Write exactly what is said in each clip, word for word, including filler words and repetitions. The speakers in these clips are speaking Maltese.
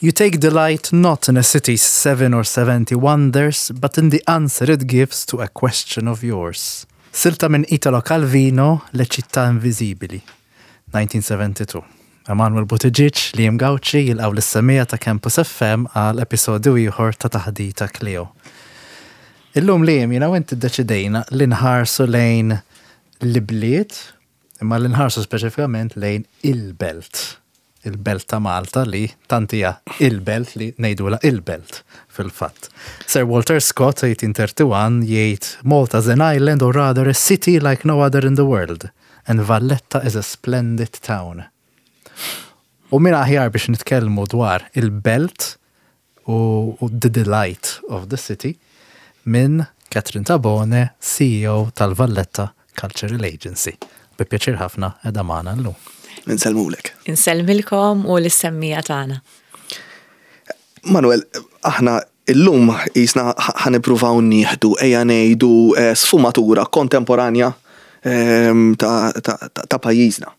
You take delight not in a city's seven or seventy wonders, but in the answer it gives to a question of yours. Silta minn Italo Calvino, Le città invisibili, elf disa' mija u sebgħa u sebgħin. Emanuel Buttigieg, Liam Gauci jilqgħu lis-semmiegħa ta' Campus F M għal episodju ieħor ta' Taħdita Cleo. Illum, Liam, jiena u inti deċidejna li nħarsu lejn l-bliet, imma li nħarsu speċifikament lejn il-belt. Il-belt ta' Malta li tant hija il-belt li ngħidula il-belt fil-fatt. Sir Walter Scott eighteen thirty-one jgħid, "Malta is an island, or rather a city like no other in the world, and Valletta is a splendid town." U min aħjar biex nitkellmu dwar il-belt u, u the delight of the city minn Catherine Tabone, C E O tal-Valletta Cultural Agency? Bi pjaċir ħafna qiegħda magħna llum. Insellmulek. Insellmilkom u lis-semmiegħa tagħna. Manuel, aħna illum jisna ħa nippruvaw nieħdu, ejja ngħidu, eh, sfumatura kontemporanja ehm, ta', ta, ta, ta' pajjiżna.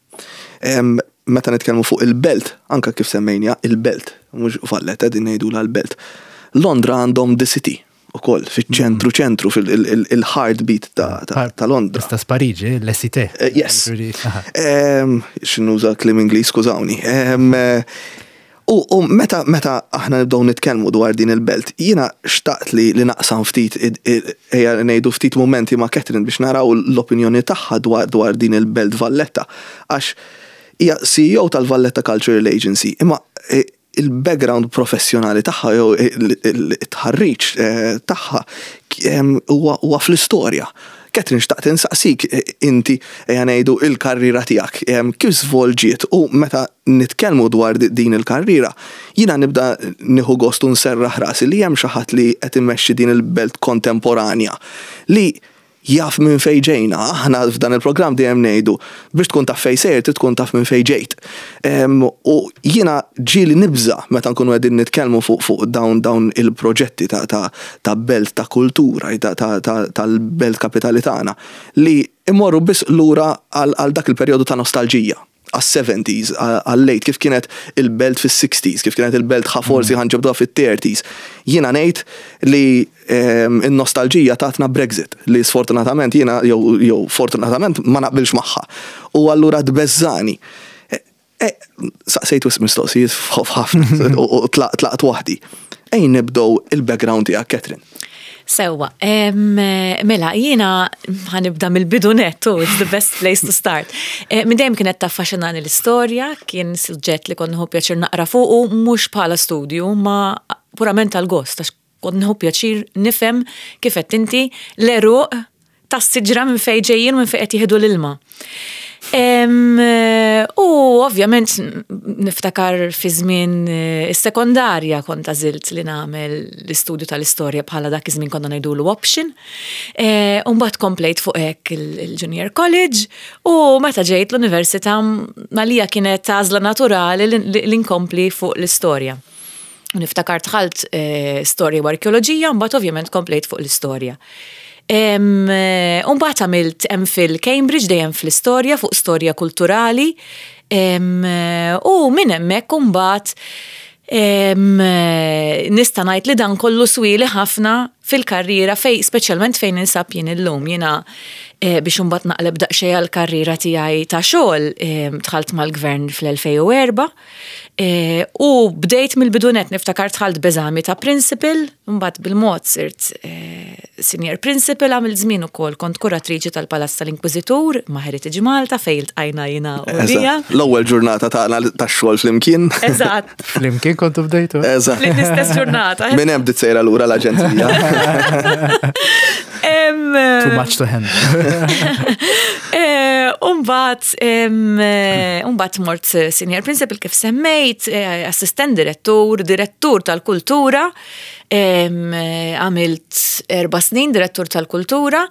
Ehm, Meta nitkellmu fuq il-belt, anka kif semmejna il-belt, mhux Valletta, din ngħidu l-belt. Londra għandhom the city ukoll fiċ-ċentru ċentru fil-heartbeat ta', ta, ta' Londra. Istess Pariġi, Le Cité. Eh, yes. Ġifieri, aha. Ehm, X'nuża kliem Ingliż, skużawni. Ehm, eh, U, u meta, meta aħna nibdew nitkellmu dwar din il-belt, jiena xtaqt li, li naqsam ftit, id- id- ejja ngħidu ftit momenti ma' Catherine biex naraw l-opinjoni tagħha dwar, dwar din il-belt Valletta. Għax hija C E O tal-Valletta Cultural Agency, imma eh, il-background professjonali tagħha jew il-tħarriġ eh, tagħha em, huwa huwa fl-istorja. Catherine, xtaqt insaqsik eh, inti, ejja ngħidu, il-karriera tiegħek em, kif żvolġiet, u meta nitkellmu dwar di- din il-karriera, jiena nibda nieħu gost u nserraħ rasi li hemm xi ħadd li qed immexxi din il-belt kontemporanja li jaf minn fej ġejna. Aħna f'dan il-programm dejjem ngħidu, biex tkun taf fej sejr, trid tkun taf minn fej ġejt. Em, U jiena ġieli nibża meta nkunu qegħdin nitkellmu fuq fuq dawn dawn il-proġetti ta' ta' ta' belt ta' kultura, ta' ta' ta' tal-belt kapitali tagħna, li imorru biss lura għal għal dak il-perjodu ta' nostalġija, għas-seventies, għal-late, kif kienet il-belt fis-sixties, kif kienet il-belt ħa forsi ħa nġibduha fit-thirties. Jiena ngħid li ehm, il-nostalġija tatna Brexit, li sfortunatament jiena, jew jew fortunatament, ma naqbilx magħha. U allura tbeżżani. E, e, Saqsejt wisq mistoqsijiet f'ħafna u u tlaqt tlaqt waħdi. Ejja nibdew il-background tiegħek, Catherine. Sewwa, em, mela, jiena ħa nibda mill-bidu nettu, it's the best place to start. Eh, Minn dejjem kienet taffaxxinani l-istorja, kien suġġett li kont nieħu pjaċir naqra fuqu, mhux bħala studju, ma purament għal-gost, għax kont nieħu pjaċir nifhem, kif qed inti, l-għeruq tas-siġra, minn fejn ġejjin, minn fejn qed jieħdu l-ilma. Em, U ovvjament niftakar fi żmien eh, is-sekondarja kont għażilt li nagħmel l-istudju tal-istorja bħala, dak iż-żmien konna ngħidulu, option. Eh, U mbagħad komplejt fuq hekk il- il-Junior College u meta ġejt l-università għalija kienet għażla naturali li li nkompli fuq l-istorja. U niftakar dħalt eh, storja u arkeoloġija, mbagħad ovvjament komplejt fuq l-istorja. Em, eh, U mbagħad għamilt MPhil Cambridge, dejjem fl-istorja, fuq storja kulturali. Em, eh, U minn hemmhekk mbagħad em, eh, nista' ngħid li dan kollu swieli ħafna fil-karriera fej, speċjalment fejn ninsab jien illum. Jiena eh, biex imbagħad naqleb daqsxejn għall-karriera tiegħi ta' xogħol, em, dħalt mal-gvern fl-elfejn u erbgħa eh, u bdejt mill-bidu nett. Niftakar dħalt b'eżami ta' principal, mbagħad bil-mod sirt eh, senior principal, għamilt żmien ukoll kont kuratriċi tal-Palazz tal-Inkwiżitur ma' Heritage Malta, fejn iltqajna jiena u Lija. Eżatt. L-ewwel ġurnata tagħna tax-xogħol flimkien. Eżatt. Flimkien kontu bdejtu? Eżatt. L-istess ġurnata. Minn hemm bdiet sejra lura l-aġenzija. Em, Too much to handle. Eh, Umbagħad, umbagħad mort senior principal kif semmejt, eh, assistent direttur, direttur tal-kultura, em, eh, għamilt erba' snin direttur tal-kultura,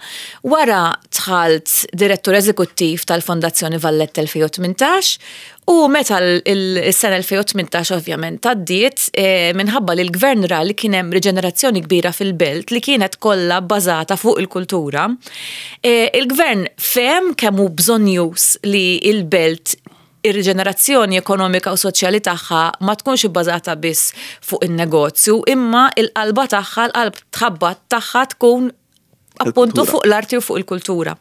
wara dħalt direttur eżekuttiv tal-Fondazzjoni Valletta elfejn u tmintax, u meta l-sena elfejn u tmintax ovvjament għaddiet, eh, minħabba li l-gvern ra li kien hemm riġenerazzjoni kbira fil-belt li kienet kollha bbażata fuq il-kultura, eh, il-gvern fehem kemm hu bżonnjuż li il-belt Ir-riġenerazzjoni ekonomika u soċjali tagħha ma tkunx ibbażata biss fuq in-negozju, imma il-qalba tagħha, l-qalb tħabbat tagħha tkun appuntu fuq l-arti u fuq il-kultura.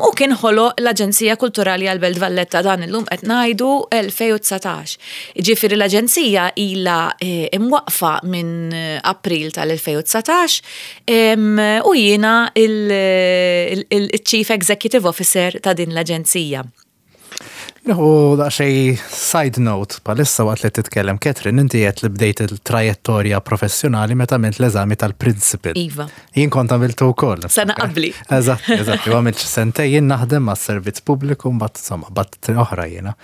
U kien ħoloq l-Aġenzija Kulturali għal-Belt Valletta, dan illum qed ngħidu elfejn u dsatax. Ġifieri l-Aġenzija ilha eh, imwaqfa minn April tal-elfejn u dsatax u jiena il-Chief Executive Officer ta' din l-Aġenzija. U daqsxejn side note, bħalissa waqt li titkellem Catherine, inti qed li bdejt il-trajettorja professjonali meta għamilt l-eżami tal-principal. Iva. Jien kont għamiltu wkoll. Sena qabli. Eżatt, eżatt, u għamilt sentejn jien naħdem ma' servizz pubbliku, mbagħad insomma, bat oħra jiena.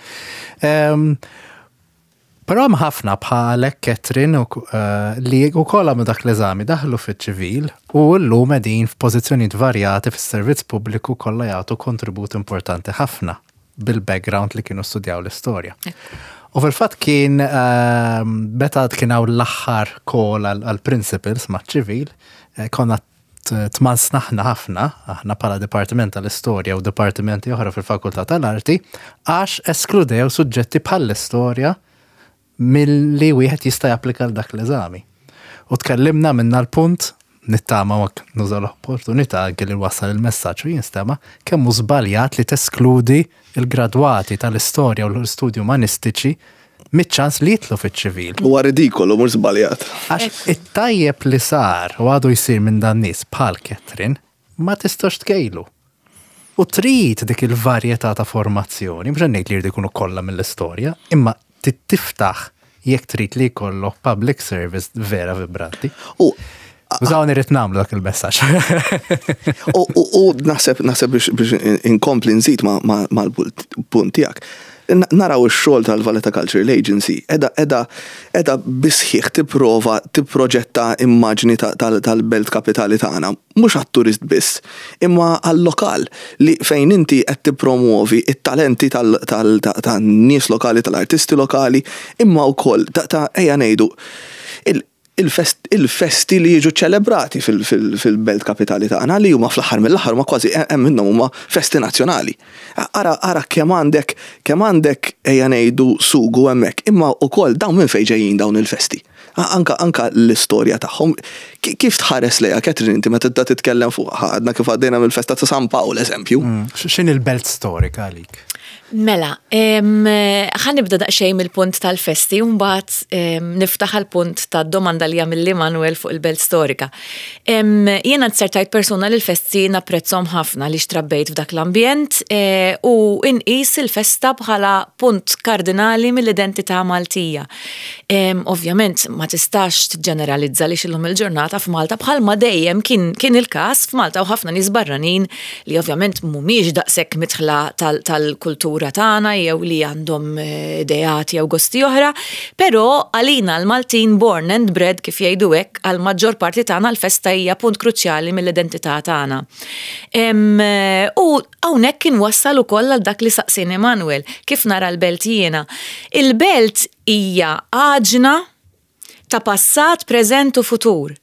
Però hemm ħafna bħalek, Catherine, eh, li wkoll għamlu dak l-eżami, daħlu fiċ-ċivil u llum qegħdin f'pożizzjonijiet varjati fis-servizz pubbliku, kollha jagħtu kontribut importanti ħafna bil-background li kienu studjaw l-istorja. U fil-fatt kien ehm, meta kien hawn l-aħħar call għal-principals ma' ċivil, eh, konna tmansnaħna ħafna, aħna bħala Dipartiment tal-Istorja u dipartimenti oħra fil-Fakultà tal-Arti, għax eskludew suġġetti bħall-istorja milli wieħed jista' japplika l dak l-eżami. U tkellimna minna l-punt, nittama wak nuża l-opportunità anke li wassal il-messaġġ u jinstema kemm hu żbaljat li teskludi il-gradwati tal-istorja u l-istudji umanistiċi miċ-ċans li jidħlu fiċ-ċivil. Huwa ridikolu, mhux żbaljat. Għax it-tajjeb li sar u għadu jsir minn dan nies bħal Catherine ma tistax tkejlu. U trid dik il-varjetà ta' formazzjoni, mhux ngħid li jridu jkunu kollha mill-istorja, imma tiftaħ jekk trid li jkollok public service vera vibranti. U Użawni, rrid nagħmlu dak il-messaġġ. U naħseb naħseb biex inkompli nżid mal-punt tiegħek. Naraw ix-xogħol tal-Valletta Cultural Agency, edha edha edha bisħiħ tipprova tipproġetta immaġni tal-belt kapitali tagħna, mhux għat-turist biss, imma għall-lokal, li fejn inti qed tippromuovi it-talenti tan-nies lokali, tal-artisti lokali, imma wkoll ta', ejja ngħidu, il-festi li jiġu ċelebrati fil-belt kapitali tagħna, li huma fl-aħħar mill-aħħar ma kważi hemm minnhom huma festi nazzjonali. Ara ara kemm għandek kemm għandek ejja ngħidu sugu hemmhekk, imma wkoll dawn minn fejn ġejjin dawn il-festi. Anka anka l-istorja tagħhom, kif tħares lejha, Catherine, inti meta tibda titkellem fuq, għadna kif għaddejna mill-festa ta' San Pawl, eżempju? Mm, x'inhi l-belt storika għalik? Mela, ħa nibda daqsxejn mill-punt tal-festi, mbagħad niftaħ għal-punt tad-domanda li għamilli Manuel fuq il-belt storika. Jiena nzertajt persuna li l-festi napprezzhom ħafna li trabbejt f'dak l-ambjent e, u inqis il-festa bħala punt kardinali mill-identità Maltija. Ovvjament ma tistax tiġġeneralizza li illum il-ġurnata f'Malta, bħalma dejjem kien, kien il-każ f'Malta, u ħafna nies barranin li ovvjament mhumiex daqshekk midħla tal-kultura tagħna jew li għandhom eh, ideat jew gosti oħra, però għalina l-Maltin born and bred, kif jgħidu hekk, għal maġġor parti tagħna l-festa hija punt kruċjali mill-identità tagħna. U hawnhekk kien wassal ukoll għal dak li saqsini Manuel, kif nara l-belt jiena. Il-belt hija għaġna ta' passat, preżent u futur.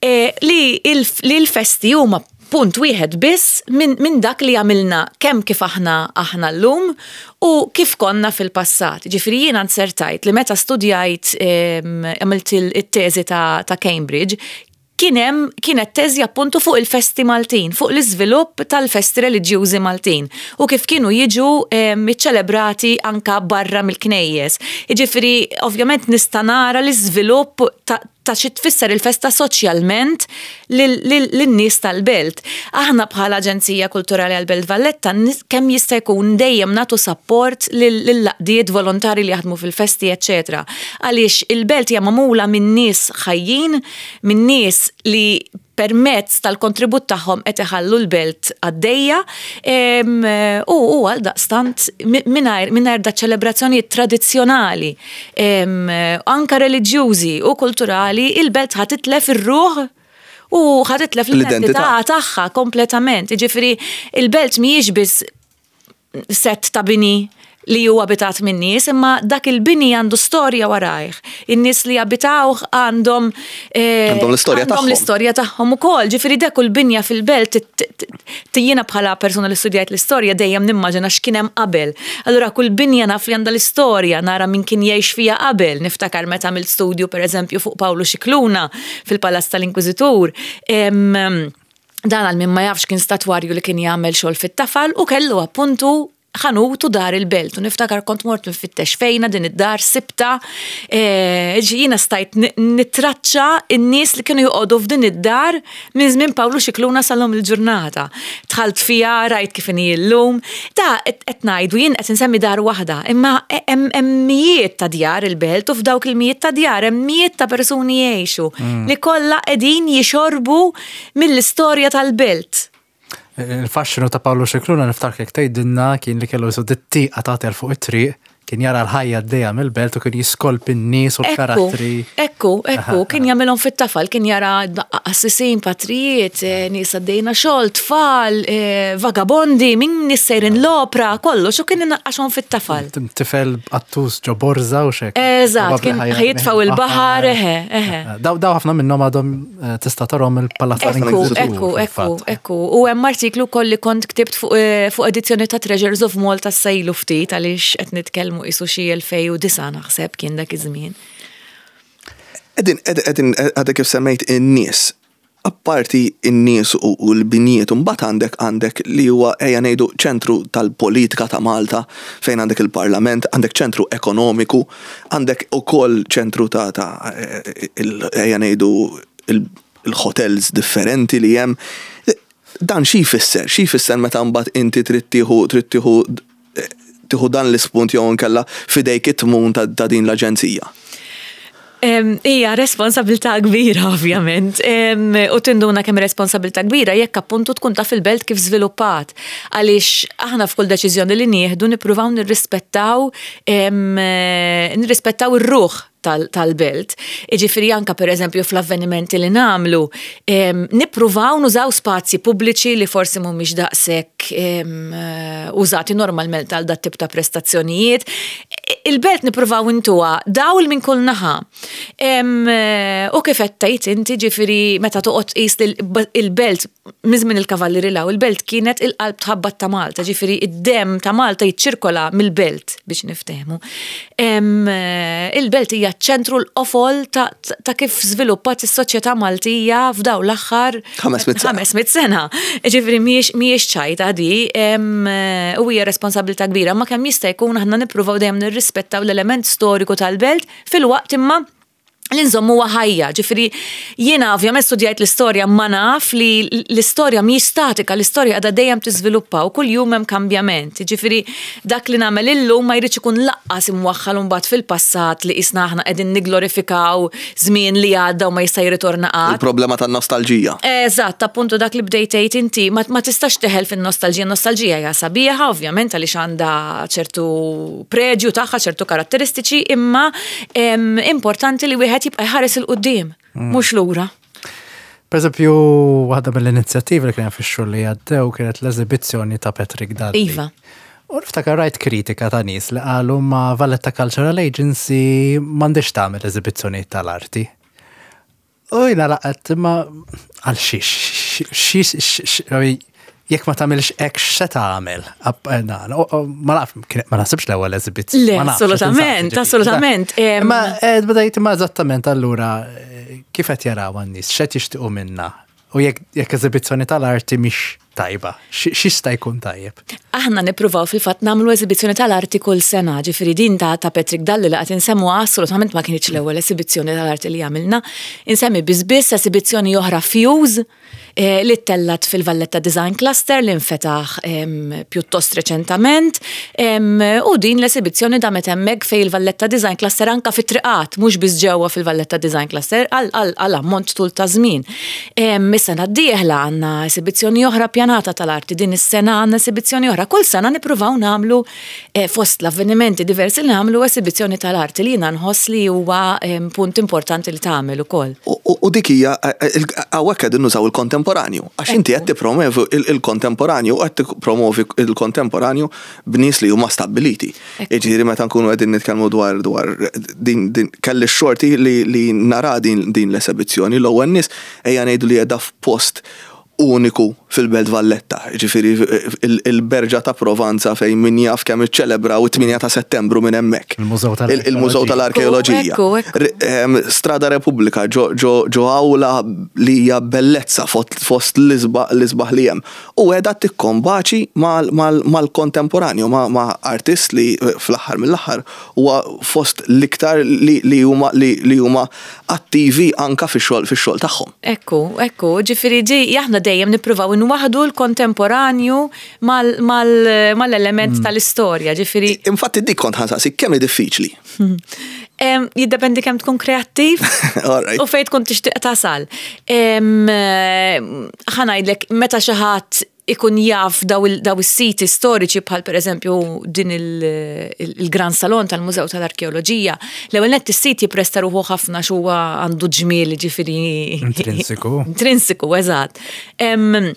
E, li l-festi huma punt wieħed biss minn min dak li għamilna kemm kif aħna aħna llum u kif konna fil-passat. Ġifieri jiena nzertajt li meta studjajt, għamilt it-teżi ta', ta Cambridge, kien hemm kienet teżi appuntu fuq il-festi Maltin, fuq l-iżvilupp tal-festi reliġjużi Maltin u kif kienu jiġu iċċelebrati anka barra mill-knejjes. Jiġifieri ovvjament nista' nara l-iżvilupp ta' ta' xi tfisser il-festa soċjalment lin-nies tal-belt. Aħna bħala Aġenzija Kulturali għal-Belt Valletta kemm jista' jkun dejjem nagħtu support lill-għaqdiet volontari li jaħdmu fil-festi, eċetera. Għaliex il-belt hija magħmula minn nies ħajjin, minn nies li permezz tal-kontribut tagħhom qed iħallu l-belt għaddejja u u għal daqstant mingħajr mingħajr da ċelebrazzjonijiet tradizzjonali, anka reliġjużi u kulturali, il-belt ħa titlef ir-ruħ u ħa titlef l-identità tagħha kompletament. Jiġifieri il-belt mhijiex biss set ta' bini li huwa abitat minn nies, imma dak il-bini għandu storja warajh. In-nies li abitawh għandhom eh, għandhom l-istorja tagħhom. L-istorja tagħhom ukoll. Ġifieri dak il-binja fil-belt jiena bħala persuna li studjajt l-istorja dejjem nimmaġina x'kien hemm qabel. Allura kull binja naf li għandha l-istorja, nara min kien jgħix fiha qabel. Niftakar meta għamilt studju, pereżempju, fuq Pawlu Scicluna fil-Palazz tal-Inkwiżitur. Dan, għal min ma jafx, kien statwarju li kien jagħmel xogħol fit-tafal u kellu appuntu ħanut u dar il-belt. U niftakar kont mort nfittex fejna din id-dar, sibta, e, jiena stajt nitraċċa in-nies li kienu joqogħdu f'din id-dar minn żmien Pawlu Scicluna sal-lum il-ġurnata. Dħalt fiha, rajt kif inhi llum. Ta' qed ngħidu, jien qed insemmi dar waħda, imma hemm mijiet ta' djar il-belt u f'dawk il-mijiet ta' djar hemm mijiet ta' persuni jgħixu mm. li kollha qegħdin jixorbu mill-istorja tal-belt. Il-fasċinu ta' Pawlu Scicluna, niftakar tgħidilna, kien li kellu jisu dit-tieqa tagħti fuq it-triq, kien jara l-ħajja d mill-belt u kien jiskolpi n-nies u l-karattri. Ekku, ekku, kien jagħmilhom fit-tafal, kien jara qassisin, patrijiet, eh, nies għaddejna xogħol, tfal, eh, vagabondi, min nies sejrin l-opra, kollox, u kien inaqqaxhom fit-tafal. Tifel qattus ġo borza u xek. Eżatt, kien ħa jitfgħu il-baħar, eħe, eħe. Daw daw ħafna minnhom għadhom eh, tista' tarhom il-Palazz. Ekku, ekku, ekku, ekku. U hemm artiklu kolli kont ktibt fuq edizzjoni ta' Treasures of Malta sejlu ftit, għaliex qed nitkellmu isu xi elfejn u disgħa, naħseb kien dak iż-żmien. Edin, edin, għadek kif semmejt in-nies, apparti in-nies u l-binijiet, mbagħad għandek għandek li huwa, ejja ngħidu, ċentru tal-politika ta' Malta, fejn għandek il-Parlament, għandek ċentru ekonomiku, għandek ukoll ċentru ta' ta' ejja ngħidu il-hotels differenti li hemm. Dan xi jfisser? Xi jfisser meta mbagħad inti trid tieħu trid tieħu tieħu dan l-ispunt jew inkella fidejk it-tmun ta' din l-aġenzija? Hija responsabilità kbira, ovvjament. U tinduna kemm responsabilità kbira jekk appuntu tkun taf il-belt kif żviluppat. Għaliex aħna f'kull deċiżjoni li nieħdu nippruvaw nirrispettaw nirrispettaw ir-ruħ tal-belt. Iġifiri anka, per eżempju, fl-avvenimenti li nagħmlu, nippruvaw nużaw spazji pubbliċi li forsi mhumiex daqshekk użati normalment għal dat tip ta' prestazzjonijiet. Il-belt nippruvaw intuha dawl minn kull naħa. U kif qed tgħid inti, ġifieri meta toqgħod tqis il-belt minn il-Kavallieri 'l hawn, il-belt kienet il-qalb tħabbat ta' Malta, ġifieri id-dem ta' Malta jiċċirkola mill-belt, biex niftehmu. Il-belt hija ċentru, l-qofol ta', ta kif żviluppat is-soċjetà Maltija f'daw l-aħħar ħames mitt sena. Ġifieri mhijiex ċajta di u hija responsabilità kbira, ma kemm jista' jkun aħna nippruvaw dejjem nirrispettaw l-element storiku tal-belt filwaqt imma li nżommu ħajja. Ġifieri, jiena ovvjament studjajt l-istorja, ma naf li l-istorja mhijiex statika, l-istorja għadha dejjem tiżviluppa u kull jum hemm kambjament. Ġifieri, dak li nagħmel illum ma jridx ikun lanqas imwaħħal mbagħad fil-passat li qisna aħna qegħdin niglorifikaw żmien li għadda u ma jista' jirritorna qatt. Il-problema tan-nostalġija. Eżatt, appuntu dak li bdejt tgħid inti, ma tistax teħel fin-nostalġija. Nostalġija hija sabiħa, ovvjament, għaliex għandha ċertu preġju tagħha, ċertu karatteristiċi, imma importanti li wieħed jibqa' jħares 'il quddiem, mm. mhux lura. Per eżempju, waħda mill-inizjattivi li kien fix-xhur li għaddew kienet l-eżibizzjoni ta' Patrick Dalli. Iva. U niftakar rajt kritika ta' nies li qalu ma Valletta Cultural Agency m'għandix tagħmel eżibizzjoni tal-arti. U jiena laqgħet, ma għal xiex, xiex, jekk ma tagħmilx hekk, x'se tagħmel? Ma naf, ma naħsibx l-ewwel eżibizzjoni. Le, assolutament, assolutament. Ma eh, bdejt ma eżattament allura eh, kif qed jaraw għan-nies, x'qed jixtiequ minna? U jekk eżibizzjoni tal-arti mhix tajba, x'jista' jkun tajjeb? Aħna nippruvaw fil-fatt nagħmlu eżibizzjoni tal-arti kull sena, ġifieri din ta' ta' Patrick Dalli li qed insemmu assolutament ma kienx l-ewwel esibizzjoni tal-arti li għamilna. Insemmi biss esibizzjoni oħra, Fuse, eh, li tellat fil-Valletta Design Cluster li nfetaħ pjuttost reċentament, u din l-esibizzjoni damet hemmhekk fej il-Valletta Design Cluster, anka fit-triqat, mhux biss ġewwa fil-Valletta Design Cluster, għal ammont tul ta' żmien. Is-sena d-dieħla għandna esibizzjoni oħra pjanata. Impjanata tal-Arti. Din is-sena għandna esibizzjoni oħra. Kull sena nippruvaw nagħmlu, eh, fost l-avvenimenti diversi li nagħmlu, esibizzjoni tal-arti li jiena nħoss li huwa em, punt importanti li tagħmel ukoll. U- U u dik hija, hawnhekk qegħdin nużaw il-kontemporanju. Għax inti qed tippromovi il-kontemporanju, qed tippromovi il-kontemporanju b'nies li huma stabbiliti. Jiġifieri meta nkunu qegħdin nitkellmu dwar dwar din din kelli x-xorti li li nara din din l-esibizzjoni, l-ewwel nies ejja ngħidu li qiegħda f'post uniku fil-Belt Valletta, ġifieri il-Berġa ta' Provanza fejn min jaf kemm iċċelebraw it-tmienja ta' Settembru minn hemmhekk. Il-Mużew Il- Il-Mużew tal-Arkeoloġija. Ekku, ekku. R- em, Strada Repubblika ġo ġo ġo awla li hija bellezza fost fost l-isbaħ l-isbaħ li hemm. U qiegħda tikkombaċi mal-kontemporanju, ma' ma' artist li eh, fl-aħħar mill-aħħar huwa fost l-iktar li li huma li li huma attivi anka fix-xogħol fix-xogħol tagħhom. Ekku, ekku, ġifieri ġi, aħna dejjem nippruvaw nwaħdu l-kontemporanju mal-element tal-istorja, ġifieri. Infatti dik kont ħa nsaqsi kemm hi diffiċli. Em, Jiddependi kemm tkun kreattiv Alright. u fejn tkun tixtieq tasal. Em, eh, Ħa ngħidlek, meta xi ħadd ikun jaf daw il- daw is-siti storiċi bħal pereżempju din il- il- il-Gran Salon tal-Mużew tal-Arkeoloġija, l-ewwel nett is-sit jippresta ruħu ħafna huwa għandu ġmiel, ġifieri Intrinsiku. Intrinsiku, eżatt. Em,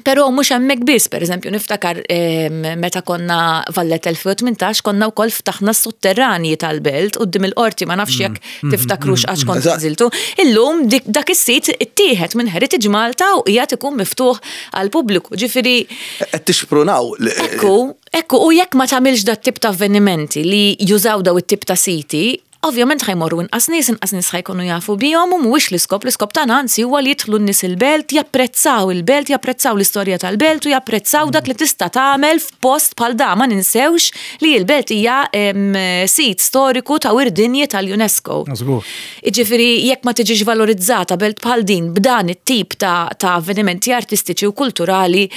Però mhux hemmhekk biss, pereżempju niftakar em, meta konna Valletta elfejn u tmintax konna wkoll ftaħna s-sotterranji tal-belt quddiem il-qorti, ma nafx jekk tiftakrux għax kont Eżatt. nżiltu. Illum dik- dak is-sit ittieħed minn Heritage Malta u qiegħed ikun miftuħ għal pubbliku. Ġifieri Qed tixprunaw li- Ekku, ekku, u jekk ma tagħmilx dat tip ta' avvenimenti li jużaw daw it-tip ta' siti, ovvjament ħa jmorru inqas nies, inqas nies ħa jkunu jafu bihom u mhuwiex l-iskop, l-iskop tagħna anzi huwa li jidħlu n-nies il-belt, japprezzaw il-belt, japprezzaw l-istorja tal-belt u japprezzaw dak li tista' tagħmel f'post bħal da. Ma ninsewx li l-belt hija em, sit storiku ta' wirt dinji tal-UNESCO. Żgur. Iġifieri, jekk ma tiġix valorizzata belt bħal din b'dan it-tip ta', ta' avvenimenti artistiċi u kulturali,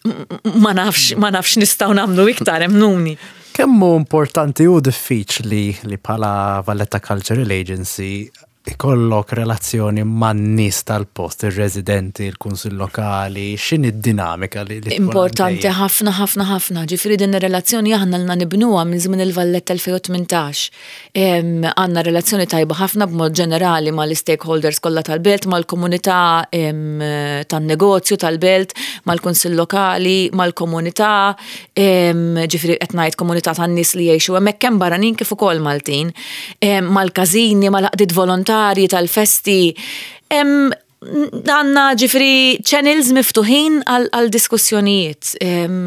m- m- ma nafx, ma nafx nistgħu nagħmlu iktar, emmnuni. Kemm hu importanti u diffiċli li bħala Valletta Cultural Agency ikollok relazzjoni man-nies tal-post, ir-residenti, il-kunsill lokali, x'inhi d-dinamika li li tkun Importanti għaddejja? ħafna, ħafna, ħafna. Ġifieri din ir-relazzjoni aħna ilna nibnuha minn żmien il-Valletta elfejn u tmintax. Em, Għandna relazzjoni tajba ħafna b'mod ġenerali mal-stakeholders kollha tal-belt, mal-komunità em, tan-negozju tal-belt, mal-kunsill lokali, mal-komunità, em, ġifieri qed ngħid komunità tan-nies li jgħixu hemmhekk, kemm barranin kif ukoll Maltin, em, mal-każini, mal-għaqdiet volontarji tal-festi. Em, Għandna ġifieri channels miftuħin għal għal diskussjonijiet. Em,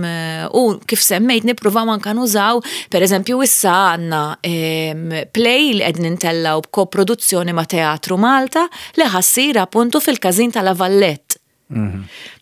U kif semmejt nippruvaw anka nużaw, per eżempju issa għandna em, play li qegħdin intellaw b'koproduzzjoni ma' Teatru Malta li ħa ssir appuntu fil-każin tal-La Vallette.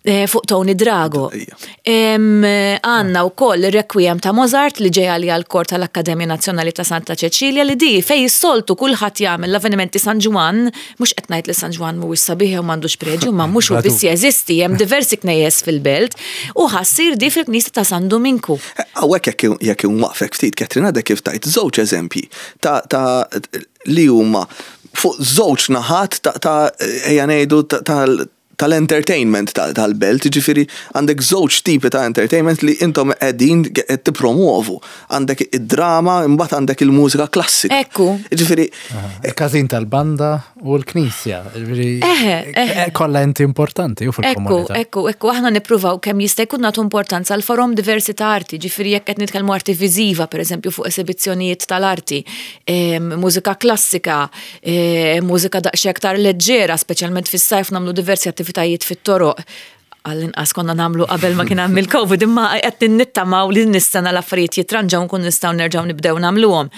Eh, Fuq Tony Drago. Ija. Em, Għandna wkoll il-Requiem ta' Mozart li ġeja li għal-kor tal-Akkademja Nazzjonali ta' Santa Ċeċilja li di fej s-soltu kulħadd jagħmel l-avvenimenti San Ġwann, mhux qed ngħid li San Ġwann mhuwiex sabiħ u m'għandux preġju, ma mhux hu biss jeżisti, hemm diversi knejjes fil-belt u ħa ssir di fil-Knisja ta' San Duminku. Hawnhekk jekk jekk nwaqfek ftit, Katrina, għadek kif tajt żewġ eżempji ta' ta' li huma fuq żewġ naħat ta' ta' ejja ngħidu ta' tal- tal-entertainment ta- tal-belt, ġifieri għandek żewġ tipi ta' entertainment li intom qegħdin qed tippromuovu. Għandek id-drama, imbagħad għandek il-mużika klassika. Ekku. Ġifieri, Il-każin tal-banda u l-knisja. Ġifieri, Eħe, eħe. Kollha enti importanti u Ekku, fil-komunità. ekku, ekku, aħna nippruvaw kemm jista' jkun nagħtu importanza għal forom diversi ta' arti, ġifieri jekk qed nitkellmu arti viżiva, pereżempju fuq esibizzjonijiet tal-arti, em, mużika klassika, em, mużika daqsxejn aktar leġġera, speċjalment fis-sajf nagħmlu diversi attivitajiet fit-toroq. Għall-inqas konna nagħmlu qabel ma kien hemm il-Covid, imma qed nittamaw li nistenna l-affarijiet jitranġaw nkun nistgħu nerġgħu nibdew nagħmluhom.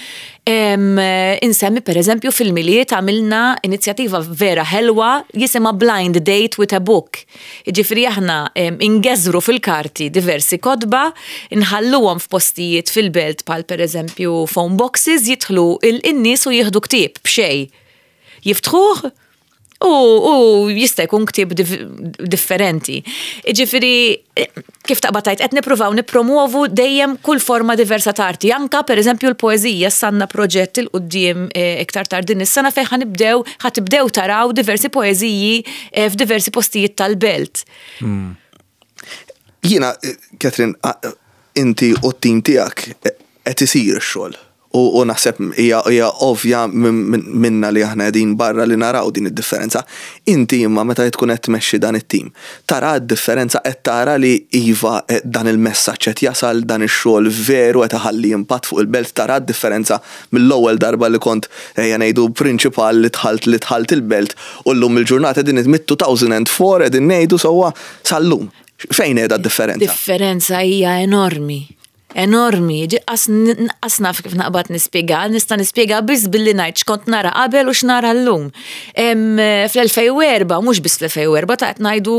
Em, Insemmi pereżempju fil-Milied għamilna inizjattiva vera ħelwa jisimha Blind Date with a Book. Ġifieri aħna em, ingeżru fil-karti diversi kotba, nħalluhom f'postijiet fil-belt bħal pereżempju phone boxes, jidħlu il-nies u jieħdu ktieb b'xejn. Jiftħuh u, u jista' jkun ktieb dif differenti. Ġifieri, kif taqbad tgħid, qed nippruvaw nippromuovu dejjem kull forma diversa ta' arti. Anka pereżempju l-poeżija, għandna proġett 'il quddiem eh, iktar tard din is-sena fejn ħa nibdew ħa tibdew taraw diversi poeżiji eh, f'diversi postijiet tal-belt. Jiena, Catherine, inti u t-tim tiegħek qed isir ix-xogħol. U naħseb hija ovvja minna li aħna qegħdin barra li naraw din id-differenza. Inti imma meta tkun qed tmexxi dan it-tim, tara d-differenza, qed tara li iva, dan il-messaġġ qed jasal, dan ix-xogħol veru qed iħalli impatt fuq il-belt, tara d-differenza mill-ewwel darba li kont, ejja ngħidu, prinċipal li dħalt li dħalt il-belt u llum il-ġurnata din mid-elfejn u erbgħa qegħdin ngħidu sewwa sal-lum. Fejn qiegħda d-differenza? Differenza hija enormi. Enormi, qas naf kif naqbad nispjega, nista' nispjega biss billi ngħid x'kont nara qabel u x'nara llum. Fl-elfejn u erbgħa, mhux biss fl-elfejn u erbgħa, ta' qed ngħidu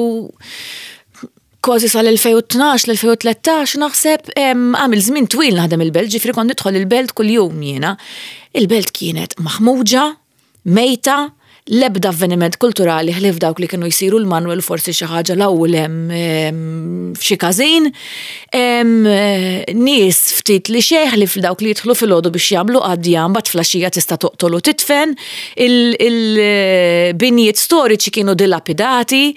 kważi sal-elfejn u tnax, l-elfejn u tlettax, naħseb, għamil żmien twil naħdem il-belt, ġifieri kont nidħol il-belt kull-jum jiena. Il-belt kienet maħmuġa, mejta, l-ebda avveniment kulturali ħlief dawk li kienu jsiru l-Manuel, forsi xi ħaġa l-ewwel hemm f'xi każin. Nies ftit li xejn li f'dawk li jidħlu filgħodu biex jagħmlu qadja, mbagħad filgħaxija tista' toqtol u titfen. Il-binjiet storiċi kienu dilapidati.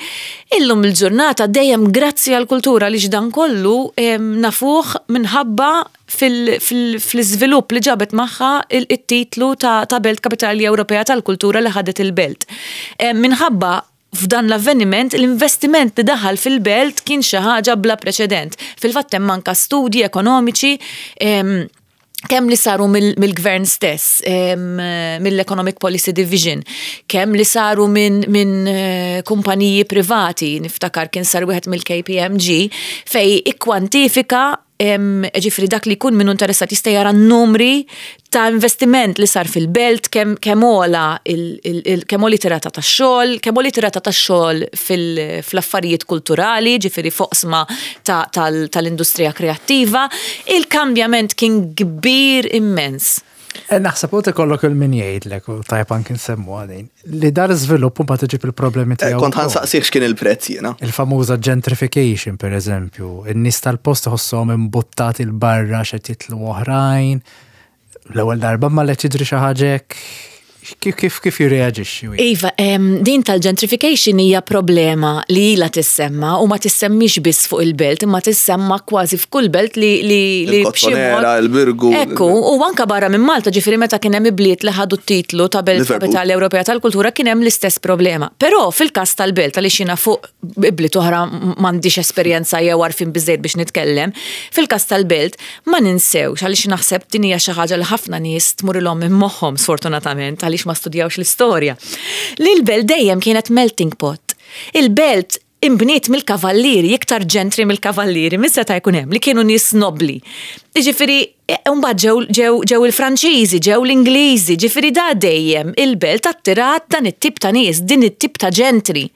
Illum il-ġurnata, dejjem grazzi għall-kultura li dan kollu nafuh minħabba fil-iżvilupp li ġabet magħha il-titlu ta' Belt Kapitali Ewropea tal-Kultura li ħadet il-belt. Minħabba f'dan l-avveniment, l-investiment li daħal fil-belt kien xi ħaġa bla preċedent. Fil-fatt hemm anka studji ekonomiċi kemm li saru mill-gvern stess, mill-Economic Policy Division, kemm li saru minn min eh, kumpaniji privati, niftakar kien sar wieħed mill-K P M G, fej ikkwantifika, ġifieri dak li jkun minnu interessat jista' jara numri ta' investiment li sar fil-belt, kemm kemm għola kemm għoliet ir-rata ta' xogħol, kemm għoliet ir-rata ta' xogħol fl-affarijiet kulturali, ġifieri f'oqsma tal-industrija kreattiva. Il-kambjament kien kbir immens. Eh, naħseb u ikollok il-min jgħidlek, u tajb anki nsemmu għadin, li dar żvilupp mbagħad iġib il-problemi eh, tiegħu. Kont ħa nsaqsik x'kien il-prezz jiena. Il-famuża gentrification, per eżempju, in-nies tal-post iħossuhom imbuttati 'l barra x'qed jitlu oħrajn. L-ewwel darba ma li tiġri xi ħaġa hekk, kif kif kif jirreaġixxi? Iva, din tal-gentrification hija problema li ilha tissemma u ma tissemmix biss fuq il-belt, imma tissemma kważi f'kull belt li li li Il-Kottonera, il-Birgu. Ekku, u anka barra minn Malta, ġifieri meta kien hemm ibliet li ħadu t-titlu ta' Belt Kapitali Ewropea tal-Kultura kien hemm l-istess problema. Però fil-każ tal-belt, għaliex jiena fuq ibliet oħra m'għandix esperjenza jew għarfien biżejjed biex nitkellem, fil-każ tal-belt ma ninsewx, għaliex naħseb din hija xi ħaġa li ħafna nies tmurilhom minn moħħhom sfortunatament għaliex ma studjawx l-istorja. Li l-belt dejjem kienet melting pot. Il-belt imbniet mill-kavallieri, iktar gentry mill-kavallieri, min seta' jkun hemm, li kienu nies nobli. Ġifieri, mbagħad ġew ġew ġew il-Franċiżi, ġew l-Ingliżi, ġifieri da dejjem il-belt attirat dan it-tip ta' nies, din it-tip ta' gentry.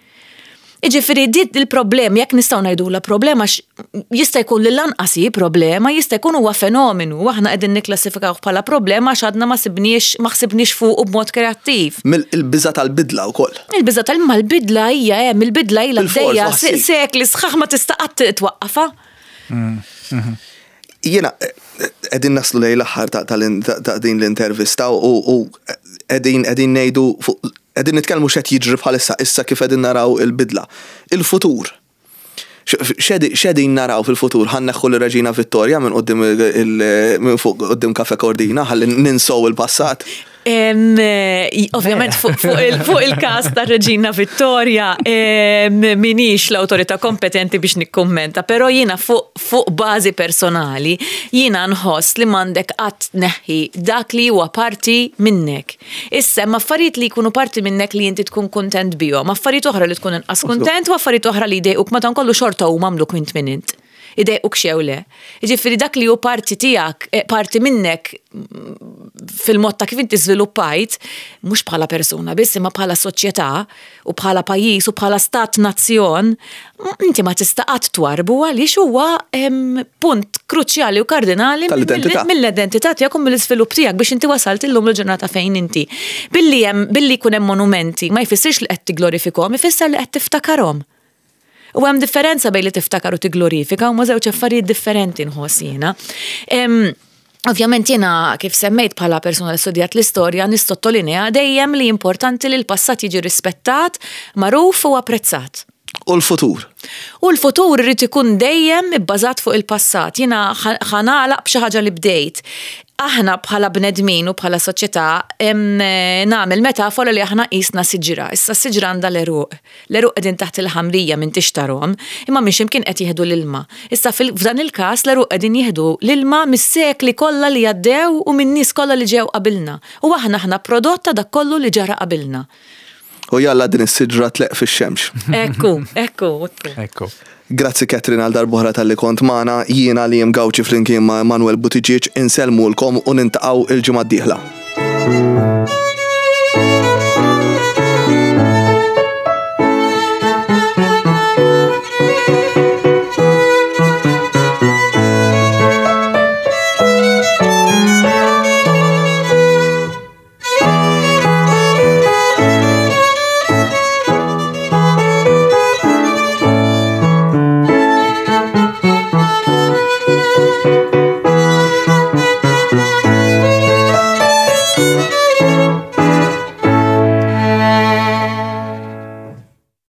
Iġifieri dit il-problem, jekk nistgħu ngħidula problema, jista' jkun li lanqas hi problema, jista' jkun huwa fenomenu, u aħna qegħdin nikklassifikaw bħala problema għax għadna ma sibniex ma ħsibniex fuq b'mod kreattiv. Il-biża tal-bidla wkoll. Il-biża tal-ma l-bidla hija hemm, il-bidla ilha għaddejja sekli sħaħ, ma tista' qatt twaqqafha. Jiena qegħdin naslu lejn l-aħħar ta' din l-intervista u qegħdin qegħdin ngħidu, qegħdin nitkellmu x'qed jiġri bħalissa, issa kif qegħdin naraw il-bidla. Il-futur. X'qegħdin naraw fil-futur? Ħa nneħħu l-Reġina Vittoria minn quddiem minn fuq quddiem Cafe Cordina ħalli ninsow il-passat? Ovvjament fuq il-kas ta' Reġina Vittoria minix l-autorità kompetenti biex nikkommenta, pero jiena fuq bażi personali jiena nħoss li m'għandek qatt tneħħi dak li huwa parti minnek. Issa hemm affarijiet li jkunu parti minnek li inti tkun kontent bihom, affarijiet oħra li tkun inqas kontent u affarijiet oħra li jdejquk, madankollu xorta huma għamluk int min int. Idejquk xew le. Ġifieri dak li hu parti tiegħek, eh, parti minnek fil-mod ta' kif inti żviluppajt, mhux bħala persuna biss, imma bħala soċjetà u bħala pajjiż u bħala stat nazzjon, inti ma tista' qatt twarbu għaliex huwa punt kruċjali u kardinali mill-identità tiegħek u mill-iżvilupp tiegħek biex inti wasalt illum l-ġurnata fejn inti. Billi hemm billi jkun hemm monumenti ma jfissirx li qed tiglorifikhom, ifisser li qed tiftakarhom. U hemm differenza bejn li tiftakar u tiglorifika, u ma żewġ affarijiet differenti nħoss jiena. Ovvjament jiena, kif semmejt, bħala persuna li studjat l-istorja nissottolinea dejjem li importanti li l-passat jiġi rispettat, magħruf u apprezzat. U l-futur. U l-futur irid ikun dejjem ibbażat fuq il-passat. Jiena ħa nagħlaq b'xi ħaġa li bdejt. Aħna bħala bnedmin u bħala soċjetà nagħmel metafora li aħna qisna siġra. Issa s-siġra għandha l-għeruq. L-għeruq qegħdin taħt il-ħamrija minn tixtarhom, imma minn x'imkien qed jieħdu l-ilma. Issa f'dan il-każ l-għeruq qegħdin jieħdu l-ilma mis-sekli kollha li għaddew u min-nies kollha li ġew qabilna. U aħna aħna prodott ta' dak kollu li ġara qabilna. U jalla din is-siġra tleqq fix-xemx. Ekku, ekku, ekku. Ekku. Grazzi Catherine għal darb'oħra talli kont magħna, jiena li jem Gauci flimkien ma' Manuel Buttigieg insellmulkom u niltaqgħu il-ġimgħa d-dieħla.